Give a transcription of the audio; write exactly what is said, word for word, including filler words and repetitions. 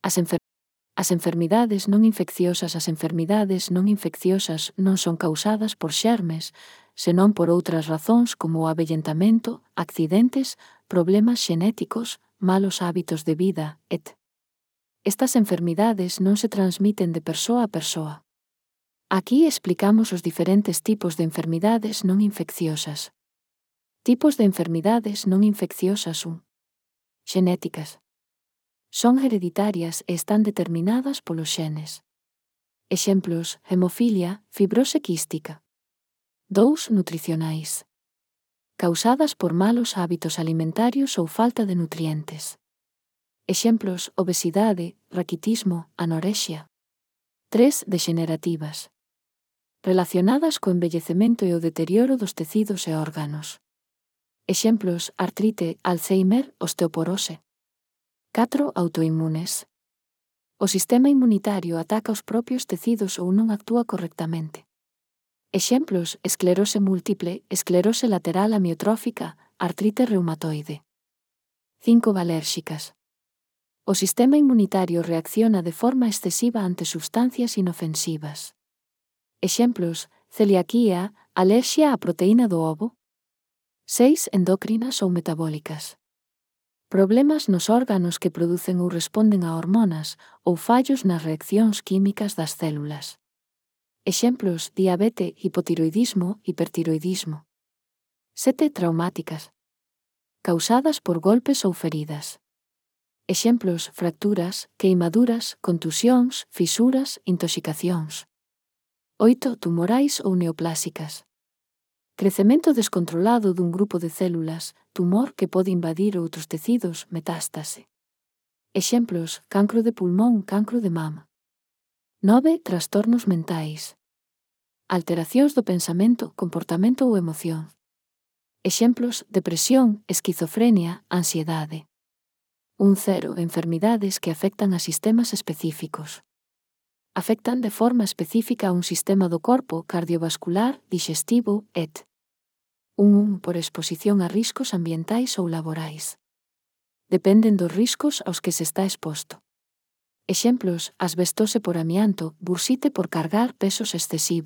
As, enfer as enfermidades non infecciosas As enfermidades non infecciosas non son causadas por xermes, senón por outras razóns como o avellentamento, accidentes, problemas xenéticos, malos hábitos de vida, etcétera. Estas enfermidades non se transmiten de persoa a persoa. Aquí explicamos os diferentes tipos de enfermidades non infecciosas. Tipos de enfermidades non infecciosas un. Xenéticas. Son hereditarias e están determinadas polos xenes. Exemplos: hemofilia, fibrose quística. dous. Nutricionais. Causadas por malos hábitos alimentarios ou falta de nutrientes. Exemplos: obesidade, raquitismo, anorexia. tres. Degenerativas. Relacionadas co envellecemento e o deterioro dos tecidos e órganos. Exemplos: artrite, Alzheimer, osteoporose. catro. Autoinmunes. O sistema inmunitario ataca os propios tecidos ou non actúa correctamente. Exemplos: esclerose múltiple, esclerose lateral amiotrófica, artrite reumatoide. cinco. Alérxicas. O sistema inmunitario reacciona de forma excesiva ante substancias inofensivas. Exemplos: celiaquía, alerxia á proteína do ovo. seis. Endócrinas ou metabólicas. Problemas nos órganos que producen ou responden a hormonas ou fallos nas reaccións químicas das células. Exemplos: diabete, hipotiroidismo, hipertiroidismo. sete. Traumáticas. Causadas por golpes ou feridas. Exemplos: fracturas, queimaduras, contusións, fisuras, intoxicacións. oito. Tumorais ou neoplásicas. Crecemento descontrolado dun grupo de células, tumor que pode invadir outros tecidos, metástase. Exemplos: cancro de pulmón, cancro de mama. nove. Trastornos mentais. Alteracións do pensamento, comportamento ou emoción. Exemplos: depresión, esquizofrenia, ansiedade. un. Enfermidades que afectan a sistemas específicos. Afectan de forma específica a un sistema do corpo cardiovascular, dixestivo, etcétera. un. Por exposición a riscos ambientais ou laborais. Dependen dos riscos aos que se está exposto. Exemplos: asbestose por amianto, bursite por cargar pesos excesivos.